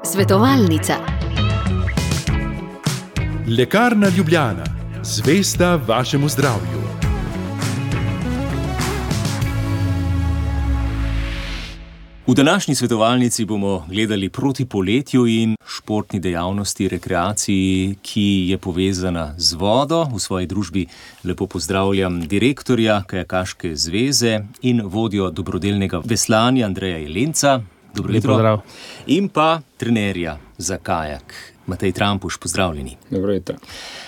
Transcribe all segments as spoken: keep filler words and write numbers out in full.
Svetovalnica. Lekarna Ljubljana, zvesta vašemu zdravju. V današnji svetovalnici bomo gledali proti poletju in športni dejavnosti, rekreaciji, ki je povezana z vodo. V svoji družbi lepo pozdravljam direktorja Kajakaške zveze in vodjo dobrodelnega veslanja Andreja Jelenca. Dobro jutro. Pozdrav. In pa trenerja za kajak Matej Trampuš, pozdravljeni. Dobro jutro.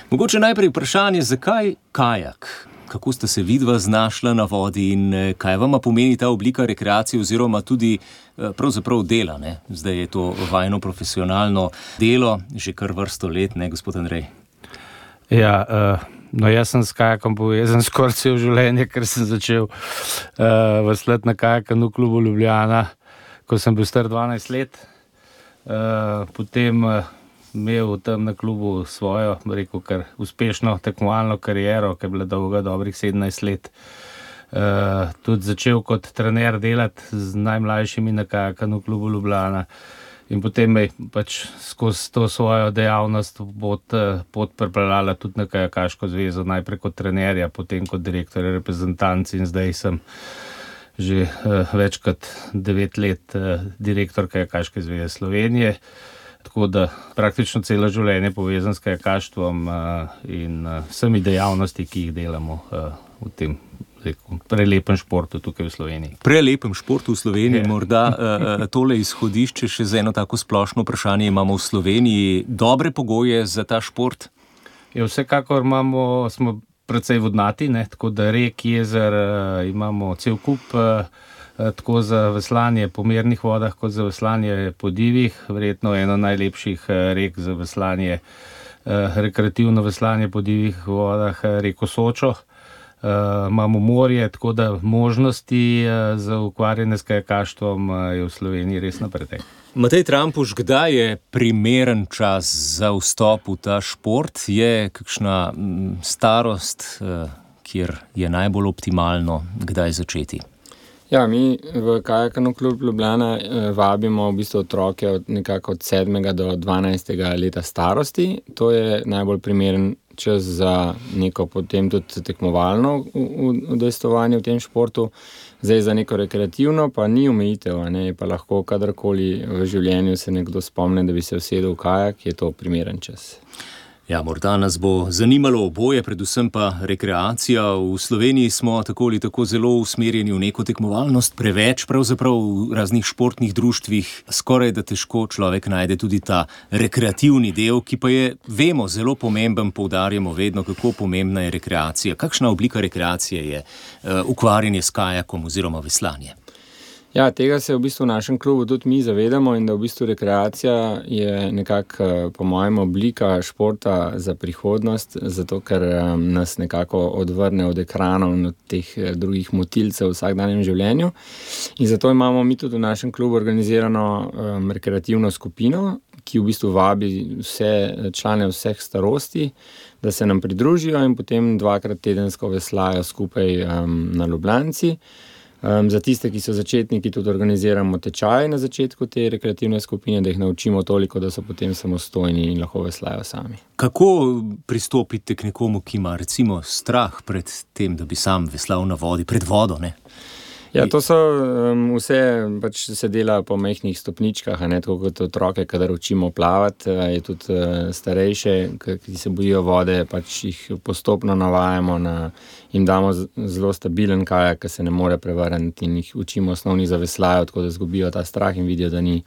Mogoče najprej vprašanje, zakaj kajak? Kako ste se vidva znašla na vodi in kaj vama pomeni ta oblika rekreacije oziroma tudi pravzaprav dela, ne? Zdaj je to vajno profesionalno delo, že kar vrsto let, ne, gospod Andrej? Ja, uh, no jaz sem s kajakom povezan skoraj celo življenje, ker sem začel uh, veslati na kajakanu v klubu Ljubljana, ko sem bil star dvanajst let. Uh, potem uh, imel tam na klubu svojo, rekel, kar uspešno tekmovalno kariero, ki je bila dolga dobrih sedemnajst let. Uh, tudi začel kot trener delati z najmlajšimi na kajakanu v klubu Ljubljana in potem me pač skozi to svojo dejavnost pot, pot pripeljala tudi na Kajakaško zvezo, najprej kot trenerja, potem kot direktor reprezentanci in zdaj sem že uh, več kot devet let uh, direktor Kajakaške zveze Slovenije. Tako da praktično celo življenje povezan s kajakaštvom uh, in uh, vsemi dejavnosti, ki jih delamo uh, v tem rekel, prelepem športu tukaj v Sloveniji. Prelepem športu v Sloveniji, Je. morda uh, tole izhodišče še za eno tako splošno vprašanje. Imamo v Sloveniji dobre pogoje za ta šport? Ja, vsekakor imamo, smo precej vodnati, ne, tako da rek, jezer, uh, imamo cel kup, uh, tako za veslanje po mirnih vodah, kot za veslanje po divjih, verjetno eno najlepših rek za veslanje, rekreativno veslanje po divjih vodah, reko Sočo. Imamo morje, tako da možnosti za ukvarjanje s kajakaštvom je v Sloveniji res napretek. Matej Trampuš, kdaj je primeren čas za vstop v ta šport? Je kakšna starost, kjer je najbolj optimalno, kdaj začeti? Ja, mi v Kajakanu klub Ljubljana vabimo v bistvu otroke od nekako od sedmega do dvanajstega leta starosti. To je najbolj primeren čas za neko potem tudi tekmovalno udejstvovanje v tem športu. Zdaj za neko rekreativno pa ni omejitev, ne, pa lahko kadarkoli v življenju se nekdo spomne, da bi se usedel v kajak, je to primeren čas. Ja, morda nas bo zanimalo oboje, predvsem pa rekreacija. V Sloveniji smo tako ali tako zelo usmerjeni v neko tekmovalnost, preveč pravzaprav v raznih športnih društvih, skoraj da težko človek najde tudi ta rekreativni del, ki pa je, vemo, zelo pomemben, poudarjamo vedno, kako pomembna je rekreacija. Kakšna oblika rekreacije je uh, ukvarjanje s kajakom oziroma veslanje? Ja, tega se v bistvu v našem klubu tudi mi zavedamo in da v bistvu rekreacija je nekako po mojem oblika športa za prihodnost, zato ker nas nekako odvrne od ekranov in od teh drugih motilcev v vsakdanjem življenju. In zato imamo mi tudi v našem klubu organizirano um, rekreativno skupino, ki v bistvu vabi vse člane vseh starosti, da se nam pridružijo in potem dvakrat tedensko veslajo skupaj um, na Ljubljanci. Um, za tiste, ki so začetniki, tudi organiziramo tečaje na začetku te rekreativne skupine, da jih naučimo toliko, da so potem samostojni in lahko veslajo sami. Kako pristopite k nekomu, ki ima recimo strah pred tem, da bi sam veslal na vodi, pred vodo, ne? Ja, to so um, vse, pač se dela po majhnih stopničkah, a ne, tako kot otroke, kadar učimo plavati, je tudi uh, starejše, ki se bojijo vode, pač jih postopno navajamo, na, jim damo zelo stabilen kajak, ki se ne more prevrniti in jih učimo osnovnih zaveslajev, tako da zgubijo ta strah in vidijo, da ni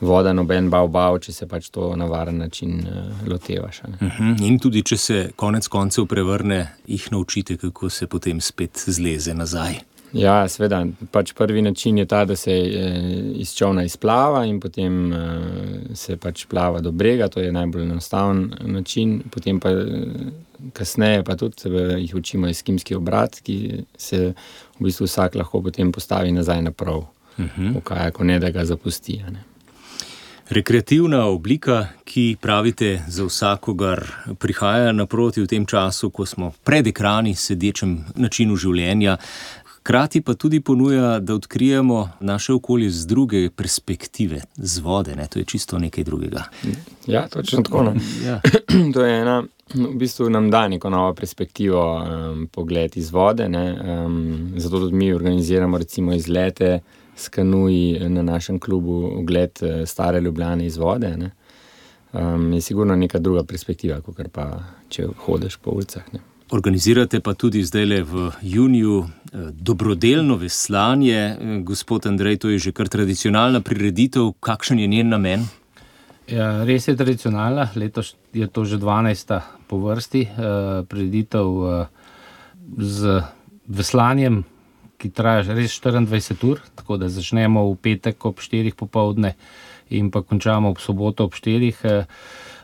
voda noben bav bav, če se pač to na varen način uh, lotevaš. A ne. Uh-huh. In tudi, če se konec koncev prevrne, jih naučite, kako se potem spet zleze nazaj. Ja, seveda, pač prvi način je ta, da se iz čolna izplava in potem se pač plava do brega, to je najbolj enostaven način, potem pa kasneje pa tudi jih učimo eskimski obrat, ki se v bistvu vsak lahko potem postavi nazaj na prav, uh-huh. v kajaku, ne da ga zapusti. Ne. Rekreativna oblika, ki pravite za vsakogar prihaja naproti v tem času, ko smo pred ekrani, sedečem načinu življenja. Hkrati pa tudi ponuja, da odkrijemo naše okolje z druge perspektive, z vode, ne? To je čisto nekaj drugega. Ja, točno tako. No. Ja. To je ena, v bistvu nam da neko novo perspektivo, um, pogled iz vode, ne? Um, zato tudi mi organiziramo recimo izlete s kanuji na našem klubu, ogled stare Ljubljane iz vode, ne? Um, je sigurno neka druga perspektiva, kakor pa če hodiš po ulicah, ne? Organizirate pa tudi zdajle v juniju dobrodelno veslanje. Gospod Andrej, to je že kar tradicionalna prireditev. Kakšen je njen namen? Ja, res je tradicionalna. Letos je to že dvanajsta po vrsti eh, prireditev eh, z veslanjem, ki traja res štiriindvajset ur, tako da začnemo v petek ob štirih popoldne in pa končamo ob soboto ob štirih. Eh,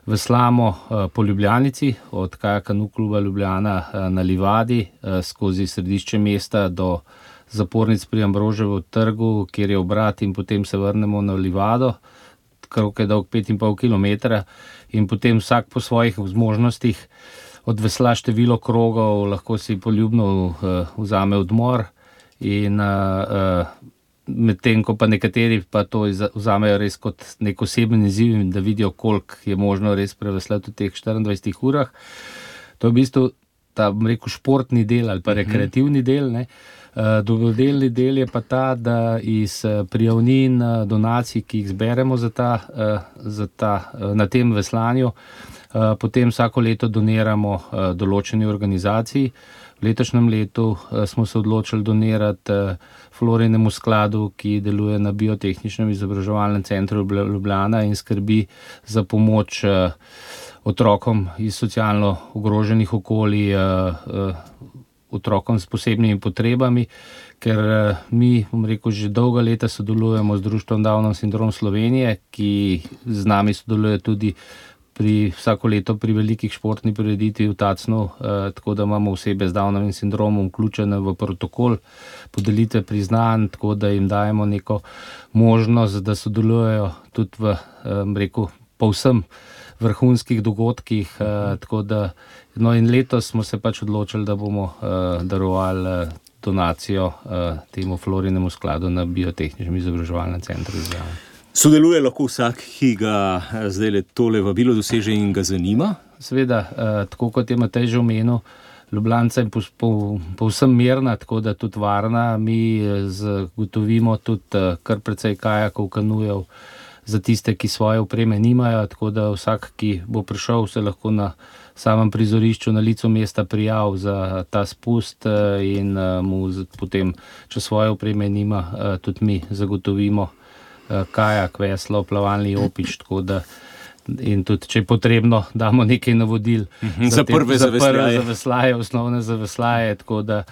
Veslamo uh, po Ljubljanici, od Kajaka kluba Ljubljana uh, na Livadi, uh, skozi središče mesta do zapornic pri Ambroževu trgu, kjer je obrat, in potem se vrnemo na Livado, krog je dolg pet in pol kilometra, in potem vsak po svojih zmožnostih odvesla število krogov, lahko si poljubno uh, vzame odmor in uh, uh, medtem ko pa nekateri pa to vzamejo res kot nek osebni izziv, da vidijo, koliko je možno res preveslati v teh štiriindvajsetih urah. To je v bistvu ta, bom rekel, športni del ali pa rekreativni del, ne. Uh, dobrodelni del je pa ta, da iz prijavnin, donacij, ki jih zberemo za ta, uh, za ta, uh, na tem veslanju, uh, potem vsako leto doniramo uh, določeni organizaciji. V letošnjem letu uh, smo se odločili donirati uh, Florinemu skladu, ki deluje na Biotehničnem izobraževalnem centru Ljubljana in skrbi za pomoč uh, otrokom iz socialno ogroženih okolij, uh, uh, otrokom s posebnimi potrebami, ker uh, mi, bom rekel, že dolga leta sodelujemo z društvom Downov sindrom Slovenije, ki z nami sodeluje tudi pri vsako leto pri velikih športnih prireditvi v Tacnu, eh, tako da imamo osebe z Downovim sindromom vključene v protokol podelitve priznanj, tako da jim dajemo neko možnost, da sodelujejo tudi v, eh, rekel, povsem vrhunskih dogodkih, eh, tako da, no in letos smo se pač odločili, da bomo eh, darovali eh, donacijo eh, temu Florinemu skladu na Biotehničnem izobraževalnem centru Ljubljana. Sodeluje lahko vsak, ki ga zdaj tole vabilo doseže in ga zanima? Seveda, eh, tako kot je Matej že omenil, Ljubljanca je povsem mirna, tako da tudi varna. Mi zagotovimo tudi eh, kar precej kajakov, kanujev za tiste, ki svoje opreme nimajo, tako da vsak, ki bo prišel, se lahko na samem prizorišču na licu mesta prijav za ta spust eh, in eh, mu potem, če svoje opreme nima, eh, tudi mi zagotovimo kajak, veslo, plavalni jopič, tako da in tudi, če je potrebno, damo nekaj navodil uh-huh, za, za prve za zaveslaje. zaveslaje, osnovne zaveslaje, tako da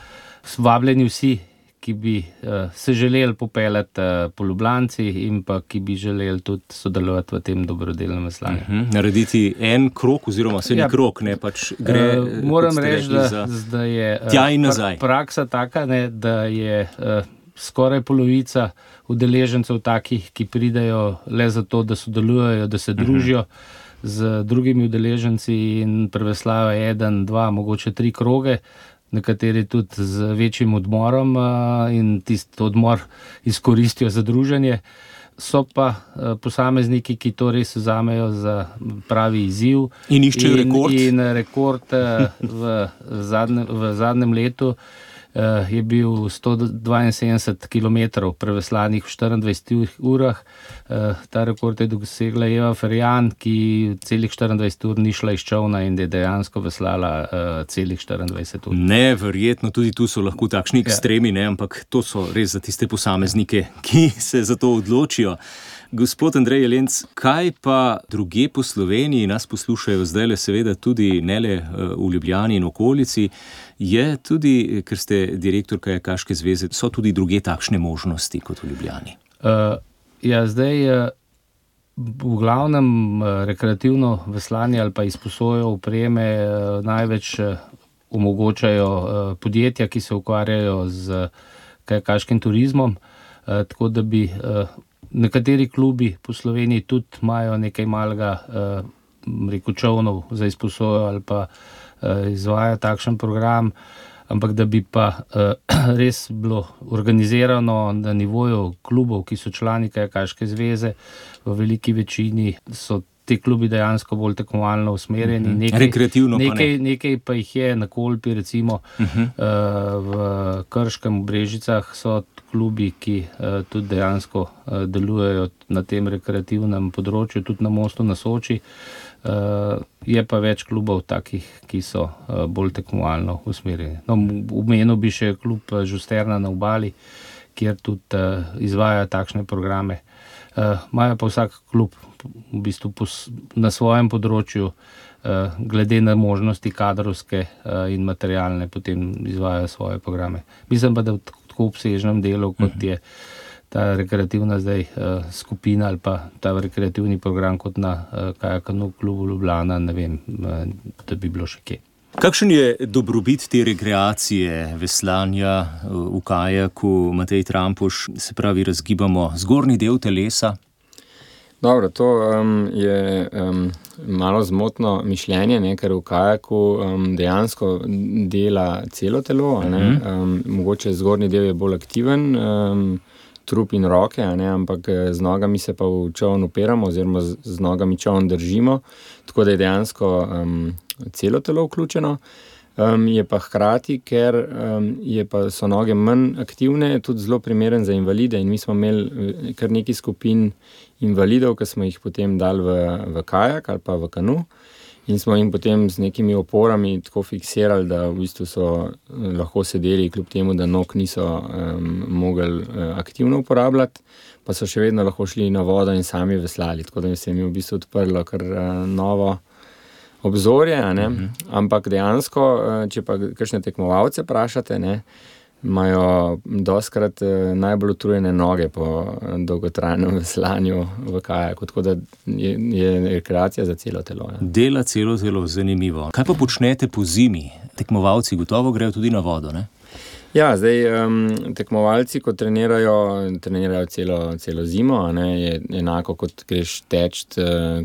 vabljeni vsi, ki bi uh, se želeli popeljati uh, po Ljubljanci in pa ki bi želeli tudi sodelovati v tem dobrodelnem veslanju. Uh-huh. Narediti en krog oziroma se ni ja, krog, ne pač gre. Uh, moram reči, da, da je uh, praksa taka, ne, da je uh, skoraj polovica udeležencev takih, ki pridejo le zato, da sodelujejo, da se družijo uh-huh. z drugimi udeleženci in preveslajo eden, dva, mogoče tri kroge, nekateri tudi z večjim odmorom in tisti odmor izkoristijo za druženje. So pa posamezniki, ki to res vzamejo za pravi izziv. In iščejo rekord. In rekord v zadnjem, v zadnjem letu je bil sto dvainsedemdeset kilometrov preveslanih v štiriindvajsetih urah. Ta rekord je dosegla Eva Ferjan, ki celih štiriindvajset ur ni šla iz čolna in je dejansko veslala celih štiriindvajset ur. Neverjetno, tudi tu so lahko takšni ekstremi, ne, ampak to so res za tiste posameznike, ki se za to odločijo. Gospod Andrej Jelenc, kaj pa druge po Sloveniji, nas poslušajo zdajle seveda tudi ne le v Ljubljani in okolici, je tudi, ker ste direktor Kajakaške zveze, so tudi druge takšne možnosti kot v Ljubljani? Uh, ja, zdaj uh, v glavnem uh, rekreativno veslanje ali pa izposojo opreme uh, največ uh, omogočajo uh, podjetja, ki se ukvarjajo z kajakaškim turizmom, uh, tako da bi uh, nekateri klubi po Sloveniji tudi imajo nekaj malega uh, rekel čovnov za izposojo ali pa uh, izvaja takšen program. ampak da bi pa uh, res bilo organizirano na nivoju klubov, ki so člani Kajakaške zveze, v veliki večini so ti klubi dejansko bolj tekmovalno usmerjeni. Nekaj, rekreativno pa nekaj, ne. Nekaj pa jih je na Kolpi, recimo uh-huh. uh, v Krškem, v Brežicah so klubi, ki uh, tudi dejansko uh, delujejo na tem rekreativnem področju, tudi na Mostu na Soči. Uh, je pa več klubov takih, ki so uh, bolj tekmovalno usmerjeni. No, omenil bi še klub Žusterna na Obali, kjer tudi uh, izvajajo takšne programe. Uh, Imajo pa vsak klub v bistvu pos, na svojem področju, uh, glede na možnosti kadrovske uh, in materialne, potem izvajajo svoje programe. Mislim pa, da v tako obsežnem delu, kot je ta rekreativna zdaj uh, skupina ali pa ta rekreativni program kot na uh, Kajakanu klubu Ljubljana, ne vem, uh, da bi bilo še kje. Kakšen je dobrobit te rekreacije, veslanja v kajaku, Matej Trampuš, se pravi, razgibamo zgornji del telesa? Dobro, to um, je um, malo zmotno mišljenje, ne, ker v kajaku um, dejansko dela celo telo, a ne, um, mogoče zgornji del je bolj aktiven, um, trup in roke, a ne, ampak z nogami se pa v čovn upiramo oziroma z, z nogami čovn držimo, tako da je dejansko um, celo telo vključeno. Um, je pa hkrati, ker um, je pa so noge manj aktivne, tudi zelo primeren za invalide in mi smo imeli kar nekaj skupin invalidov, ki smo jih potem dali v, v kajak ali pa v kanu in smo jim potem z nekimi oporami tako fiksirali, da v bistvu so lahko sedeli, kljub temu, da nog niso um, mogli uh, aktivno uporabljati, pa so še vedno lahko šli na vodo in sami veslali, tako da se jim je v bistvu odprlo kar uh, novo obzorje, a ne? Uh-huh. Ampak dejansko, če pa kakšne tekmovalce vprašate, ne, imajo dostkrat najbolj utrujene noge po dolgotrajnem veslanju v kajaku, tako da je, je rekreacija za celo telo. Ja. Dela celo telo, zanimivo. Kaj pa počnete po zimi? Tekmovalci gotovo grejo tudi na vodo, ne? Ja, zdaj um, tekmovalci, ko trenirajo, trenirajo celo, celo zimo, a ne, je enako kot greš teč,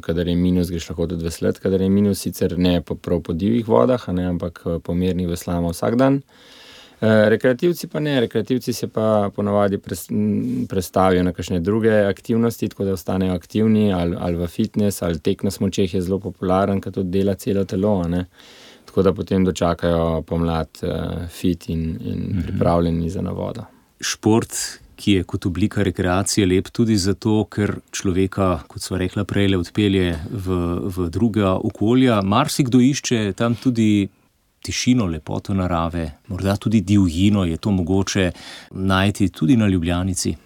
kadar je minus, greš lahko tudi veslati, kadar je minus, sicer ne po, prav po divjih vodah, a ne, ampak po mirnih veslamo vsak dan. E, rekreativci pa ne, rekreativci se pa ponavadi pres, prestavijo na kakšne druge aktivnosti, tako da ostanejo aktivni, ali, ali v fitness, ali tek na smučeh je zelo popularen, ker tudi dela celo telo, a ne. Tako da potem dočakajo pomlad uh, fit in, in pripravljeni za na vodo. Šport, ki je kot oblika rekreacije lep tudi zato, ker človeka, kot sva rekla prej, odpelje v, v druga okolja. Marsikdo išče tam tudi tišino, lepoto narave, morda tudi divjino, je to mogoče najti tudi na Ljubljanici.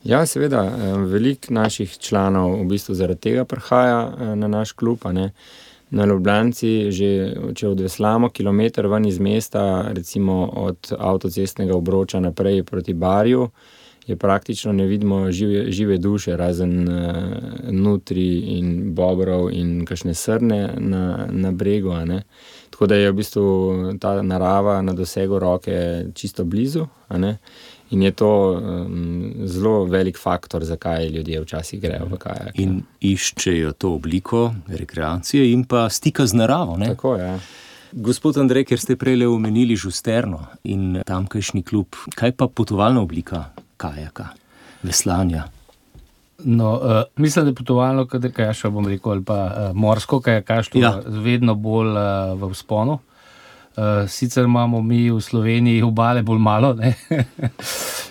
Ja, seveda, veliko naših članov v bistvu zaradi tega prihaja na naš klub, a ne. Na Ljubljanci, že če odveslamo kilometer ven iz mesta, recimo od avtocestnega obroča naprej proti Barju, je praktično ne vidimo žive, žive duše, razen uh, nutri in bobrov in kakšne srne na, na bregu, a ne. Tako da je v bistvu ta narava na dosegu roke čisto blizu, a ne. In je to um, zelo velik faktor, zakaj ljudje včasih grejo v kajak. In iščejo to obliko rekreacije in pa stika z naravo, ne? Tako, ja. Gospod Andrej, ker ste prejle omenili Žusterno in tamkajšnji klub, kaj pa potovalna oblika kajaka, veslanja? No, uh, mislim, da je potovalno kajakaštvo, bom rekel, ali pa uh, morsko kajakaštvo, ja, vedno bolj uh, v vzponu. Uh, sicer imamo mi v Sloveniji obale bolj malo, ne?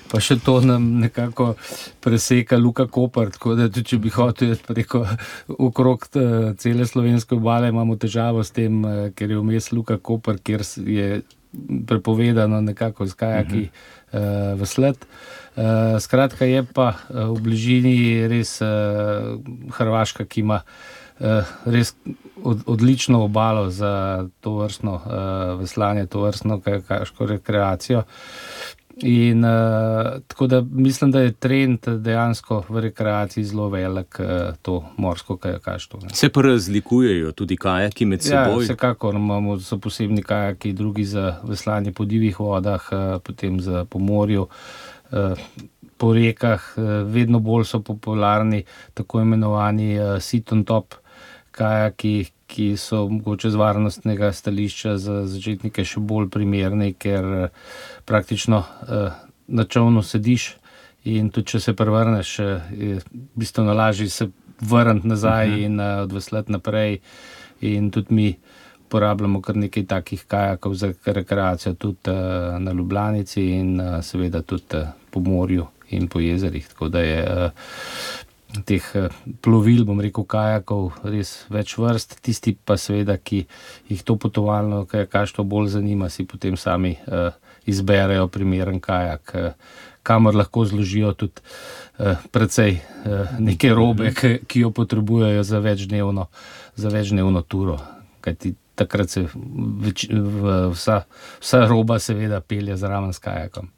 Pa še to nam nekako preseka Luka Koper, tako da tudi, če bi hotel preko okrog cele slovenske obale, imamo težavo s tem, ker je vmes Luka Koper, kjer je prepovedano nekako z kajaki uh, veslati. Uh, skratka je pa uh, v bližini res uh, Hrvaška, ki ima Uh, res od, odlično obalo za to vrstno uh, veslanje, to vrstno kajakaško rekreacijo. In uh, tako da mislim, da je trend dejansko v rekreaciji zelo velik uh, to morsko kajakaštvo. Se pa razlikujejo tudi kajaki med seboj? Ja, vsekakor imamo, so posebni kajaki, drugi za veslanje po divjih vodah, uh, potem za po morju, uh, po rekah, uh, vedno bolj so popularni tako imenovani uh, sit on top kajaki, ki so mogoče z varnostnega stališča za začetnike še bolj primerni, ker praktično na čolnu sediš in tudi če se prevrneš, je bistveno lažje se vrniti nazaj uh-huh. in odveslati naprej. In tudi mi uporabljamo kar nekaj takih kajakov za rekreacijo tudi na Ljubljanici in seveda tudi po morju in po jezerih. Tako da je teh plovil, bom rekel, kajakov res več vrst. Tisti pa seveda, ki jih to potovalno kajakaštvo bolj zanima, si potem sami izberejo primeren kajak, kamor lahko zložijo tudi precej neke robe, ki jo potrebujejo za večdnevno, za večdnevno turo. Kajti takrat se več, vsa, vsa roba seveda pelje zraven s kajakom.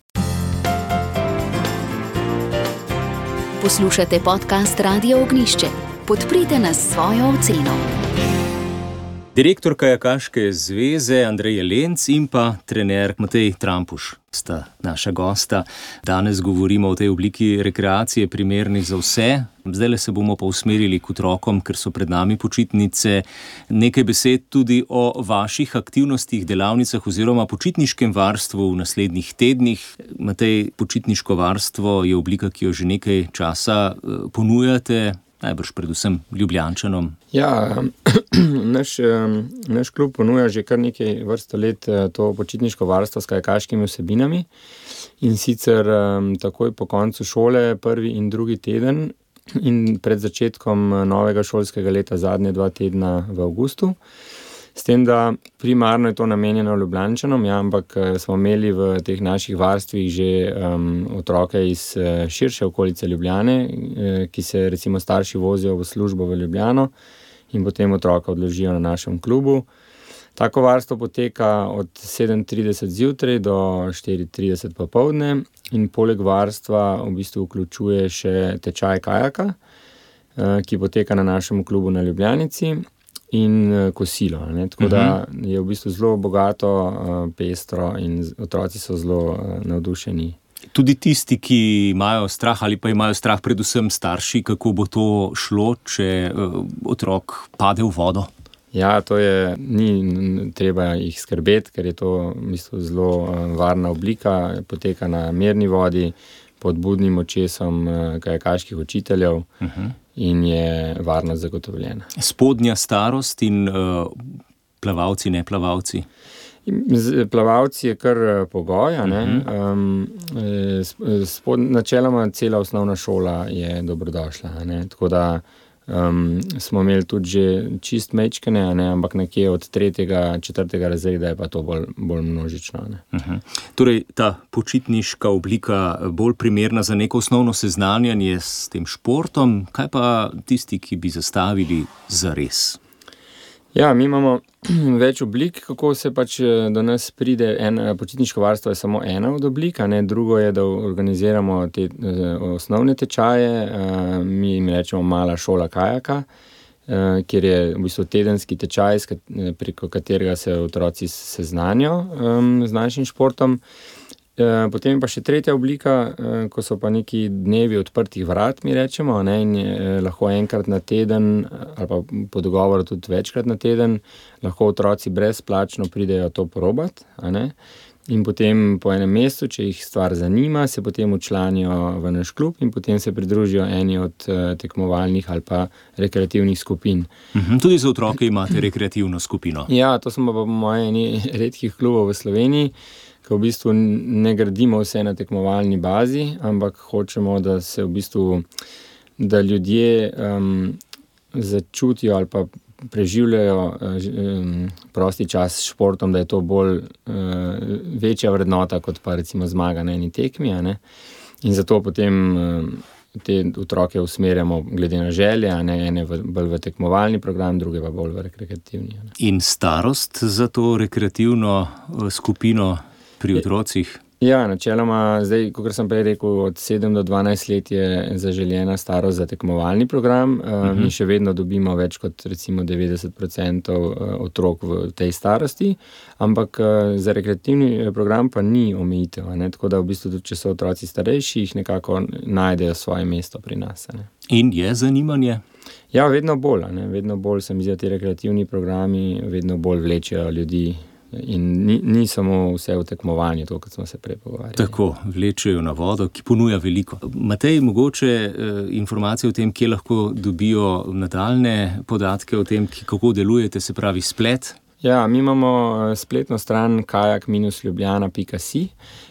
Poslušate podcast Radio Ognjišče. Podprite nas s svojo oceno. Direktor Kajakaške zveze Andrej Jelenc in pa trener Matej Trampuš sta naša gosta. Danes govorimo o tej obliki rekreacije, primerni za vse. Zdajle se bomo pa usmerili k otrokom, ker so pred nami počitnice. Nekaj besed tudi o vaših aktivnostih, delavnicah oziroma počitniškem varstvu v naslednjih tednih. Matej, počitniško varstvo je oblika, ki jo že nekaj časa ponujate. Najbrž predvsem Ljubljančanom. Ja, naš, naš klub ponuja že kar nekaj vrsto let to počitniško varstvo s kajakaškimi vsebinami. In sicer takoj po koncu šole, prvi in drugi teden in pred začetkom novega šolskega leta, zadnje dva tedna v avgustu. S tem, da primarno je to namenjeno Ljubljančanom, ja, ampak smo imeli v teh naših varstvih že um, otroke iz uh, širše okolice Ljubljane, uh, ki se recimo starši vozijo v službo v Ljubljano in potem otroka odložijo na našem klubu. Tako varstvo poteka od sedem trideset zjutraj do štiri trideset popoldne in poleg varstva v bistvu vključuje še tečaj kajaka, uh, ki poteka na našem klubu na Ljubljanici. In kosilo, ne? Tako da je v bistvu zelo bogato, pestro in otroci so zelo navdušeni. Tudi tisti, ki imajo strah ali pa imajo strah predvsem starši, kako bo to šlo, če otrok pade v vodo? Ja, to je, ni treba jih skrbeti, ker je to v bistvu zelo varna oblika, poteka na mirni vodi, pod budnim očesom kajakaških učiteljev. Uh-huh. In je varnost zagotovljena. Spodnja starost in uh, plavalci, ne plavalci? Plavalci je kar pogoj, ne? Uh-huh. um, spod, načeloma cela osnovna šola je dobrodošla, ne? Tako da um, smo imeli tudi že čist mečkene, ne? Ampak nekje od tretjega, četrtega razreda je pa to bolj, bolj množično. Ne? Uh-huh. Torej, ta počitniška oblika bolj primerna za neko osnovno seznanjanje s tem športom, kaj pa tisti, ki bi zastavili zares? Ja, mi imamo več oblik, kako se pač do nas pride. En, počitniško varstvo je samo ena od oblik, ne? Drugo je, da organiziramo te osnovne tečaje, mi jim rečemo mala šola kajaka, kjer je v bistvu tedenski tečaj, preko katerega se otroci seznanijo z našim športom. Potem pa še tretja oblika, ko so pa neki dnevi odprtih vrat, mi rečemo, ne, in lahko enkrat na teden ali pa po dogovoru tudi večkrat na teden lahko otroci brezplačno pridejo to probat, a ne, in potem po enem mesecu, če jih stvar zanima, se potem včlanijo v naš klub in potem se pridružijo eni od tekmovalnih ali pa rekreativnih skupin. Mhm, tudi za otroke imate rekreativno skupino? Ja, to smo pa po moje eni redkih klubov v Sloveniji, ko v bistvu ne gradimo vse na tekmovalni bazi, ampak hočemo, da se v bistvu, da ljudje um, začutijo ali pa preživljajo um, prosti čas s športom, da je to bolj uh, večja vrednota kot pa recimo zmaga na eni tekmi, a ne? In zato potem um, te otroke usmerjamo glede na želje, a ne, ene v, bolj v tekmovalni program, druge pa bolj v rekreativni. A ne? In starost za to rekreativno skupino pri otrocih? Ja, načeloma, zdaj, kot sem prej rekel, od sedem do dvanajst let je zaželjena starost za tekmovalni program. Uh-huh. Mi še vedno dobimo več kot recimo devetdeset procentov otrok v tej starosti, ampak za rekreativni program pa ni omejitev, ne? Tako da v bistvu tudi, če so otroci starejši, jih nekako najdejo svoje mesto pri nas. Ne? In je zanimanje? Ja, vedno bolj, ne? Vedno bolj se mi zdi, da ti rekreativni programi vedno bolj vlečejo ljudi in ni, ni samo vse v tekmovanju, to, kot smo se prej pogovarjali. Tako, vlečejo na vodo, ki ponuja veliko. Matej, mogoče eh, informacije o tem, kje lahko dobijo nadaljne podatke o tem, kako delujete, se pravi splet? Ja, mi imamo spletno stran kajak dash ljubljana pika si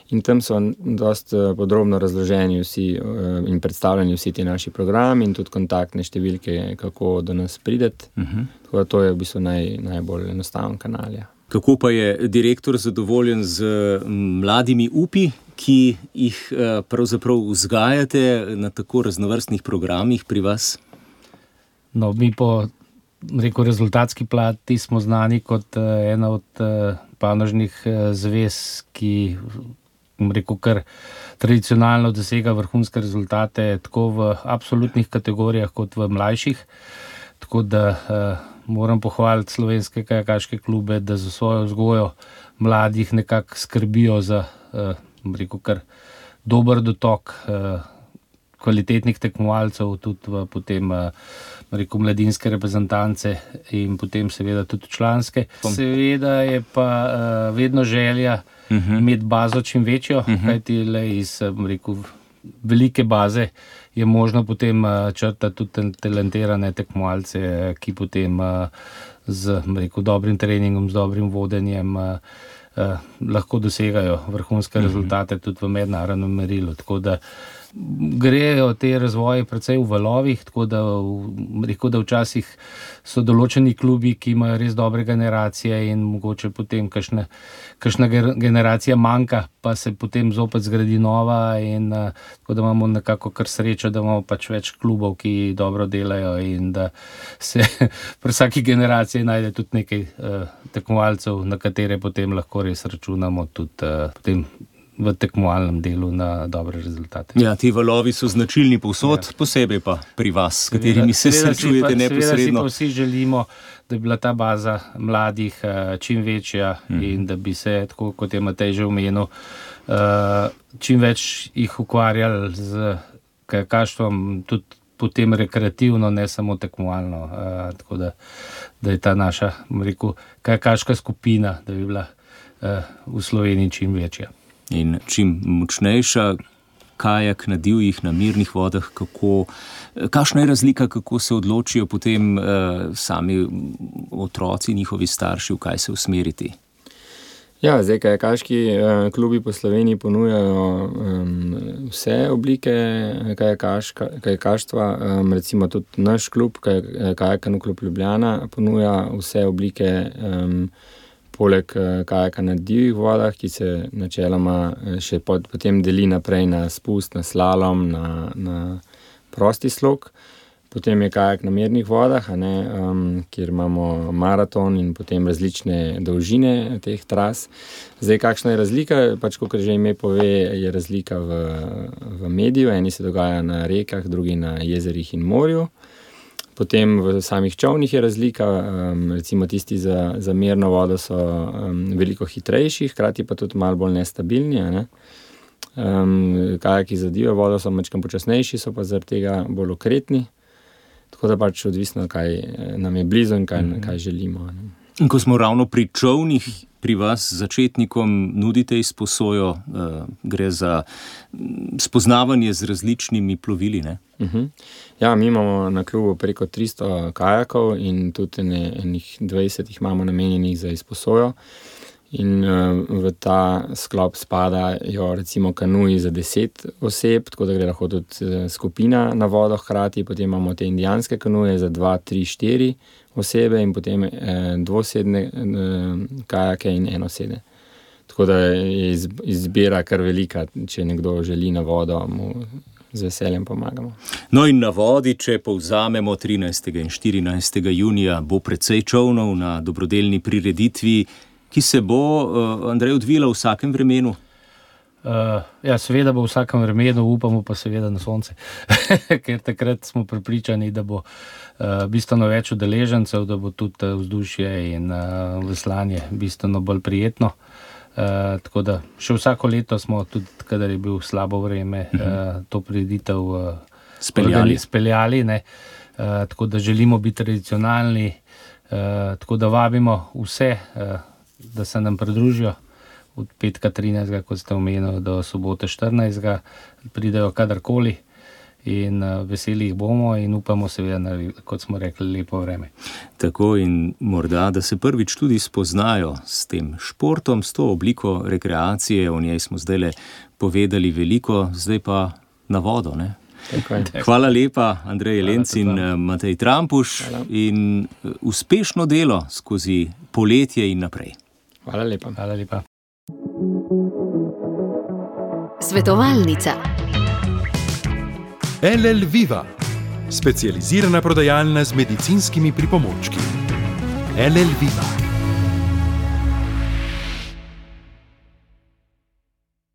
in tam so dosti podrobno razloženi vsi in predstavljeni vsi ti naši programi in tudi kontaktne številke, kako do nas prideti. Uh-huh. Tako da to je v bistvu naj, najbolj enostaven kanal. Ja. Kako pa je direktor zadovoljen z mladimi upi, ki jih pravzaprav vzgajate na tako raznovrstnih programih pri vas? No, mi po rekel, rezultatski plati smo znani kot uh, ena od uh, panožnih uh, zvez, ki rekel, kar tradicionalno dosega vrhunske rezultate tako v absolutnih kategorijah kot v mlajših. Tako da uh, moram pohvaliti slovenske kajakaške klube, da za svojo vzgojo mladih nekako skrbijo za uh, rekel, kar dober dotok uh, kvalitetnih tekmovalcev, tudi v potem rekel, mladinske reprezentance in potem seveda tudi članske. Seveda je pa uh, vedno želja uh-huh. imeti bazo čim večjo, uh-huh. kajti le iz rekel, velike baze je možno potem uh, črtati tudi talentirane tekmovalce, ki potem uh, z rekel, dobrim treningom, z dobrim vodenjem uh, uh, lahko dosegajo vrhunske uh-huh. rezultate tudi v mednarodnem merilu. Tako da grejo te razvoje precej v valovih, tako da, rekel, da včasih so določeni klubi, ki imajo res dobre generacije in mogoče potem kakšna, kakšna generacija manjka, pa se potem zopet zgradi nova in uh, tako da imamo nekako kar srečo, da imamo pač več klubov, ki dobro delajo in da se pri vsaki generaciji najde tudi nekaj uh, tekmovalcev, na katere potem lahko res računamo tudi uh, potem v tekmovalnem delu na dobre rezultate. Ja, ti valovi so značilni povsod, ja. Posebej pa pri vas, s katerimi se srečujete neposredno. Seveda si pa vsi želimo, da bi bila ta baza mladih uh, čim večja mm. in da bi se, tako kot je Matej že omenil, uh, čim več jih ukvarjali z kajakaštvom, tudi potem rekreativno, ne samo tekmovalno. Uh, tako da, da je ta naša, rekel, kajakaška skupina, da bi bila uh, v Sloveniji čim večja. In čim močnejša, kajak na divjih, na mirnih vodah, kako, kakšna je razlika, kako se odločijo potem eh, sami otroci, njihovi starši, v kaj se usmeriti? Ja, zdaj kajakaški eh, klubi po Sloveniji ponujajo um, vse oblike kajakaštva, um, recimo tudi naš klub, Kajak klub Ljubljana, ponuja vse oblike um, poleg kajaka na divjih vodah, ki se načeloma še pod, potem deli naprej na spust, na slalom, na, na prosti slog. Potem je kajak na mirnih vodah, a ne, um, kjer imamo maraton in potem različne dolžine teh tras. Zdaj, kakšna je razlika? Pač, kot že ime pove, je razlika v, v mediju. Eni se dogaja na rekah, drugi na jezerih in morju. Potem v samih čovnih je razlika, um, recimo tisti za, za mirno vodo so um, veliko hitrejši, hkrati pa tudi malo bolj nestabilni. Ne? Um, kajaki za divjo vodo so malo počasnejši, so pa zaradi tega bolj okretni. Tako da pač odvisno, kaj nam je blizu in kaj, mm-hmm. kaj želimo. Ne? In ko smo ravno pri čovnih, pri vas začetnikom nudite izposojo, uh, gre za spoznavanje z različnimi plovili, ne? Uh-huh. Ja, mi imamo na klubu preko tristo kajakov in tudi ne, enih dvajset jih imamo namenjenih za izposojo. In uh, v ta sklop spadajo recimo kanuji za deset oseb, tako da gre lahko tudi skupina na vodo hkrati, potem imamo te indijanske kanuje za dva, tri, štiri osebe in potem eh, dvosedne eh, kajake in enosede. Tako da je izbira kar velika, če nekdo želi na vodo, mu z veseljem pomagamo. No in na vodi, če povzamemo trinajstega in štirinajstega junija, bo precej čovnov na dobrodelni prireditvi, ki se bo, uh, Andrej, odvila v vsakem vremenu? Uh, ja, seveda bo v vsakem vremenu, upamo pa seveda na sonce, ker takrat smo prepričani, da bo uh, bistveno več udeležencev, da bo tudi vzdušje in uh, veslanje bistveno bolj prijetno. Uh, tako da še vsako leto smo tudi, kadar je bil slabo vreme, uh, to prireditev uh, speljali. speljali, ne. uh, tako da želimo biti tradicionalni, uh, tako da vabimo vse, uh, da se nam pridružijo od petka trinajstega, kot ste omenili, do sobote štirinajstega, pridejo kadarkoli in uh, veseli jih bomo in upamo seveda na, kot smo rekli, lepo vreme. Tako in morda, da se prvič tudi spoznajo s tem športom, s to obliko rekreacije, o njej smo zdajle povedali veliko, zdaj pa na vodo, ne? Hvala lepa, Andrej Jelenc in Matej Trampuš. Hvala. In uspešno delo skozi poletje in naprej. Hvala lepa. Hvala lepa. Svetovalnica. L L Viva, specializirana prodajalna z medicinskimi pripomočki. L L Viva.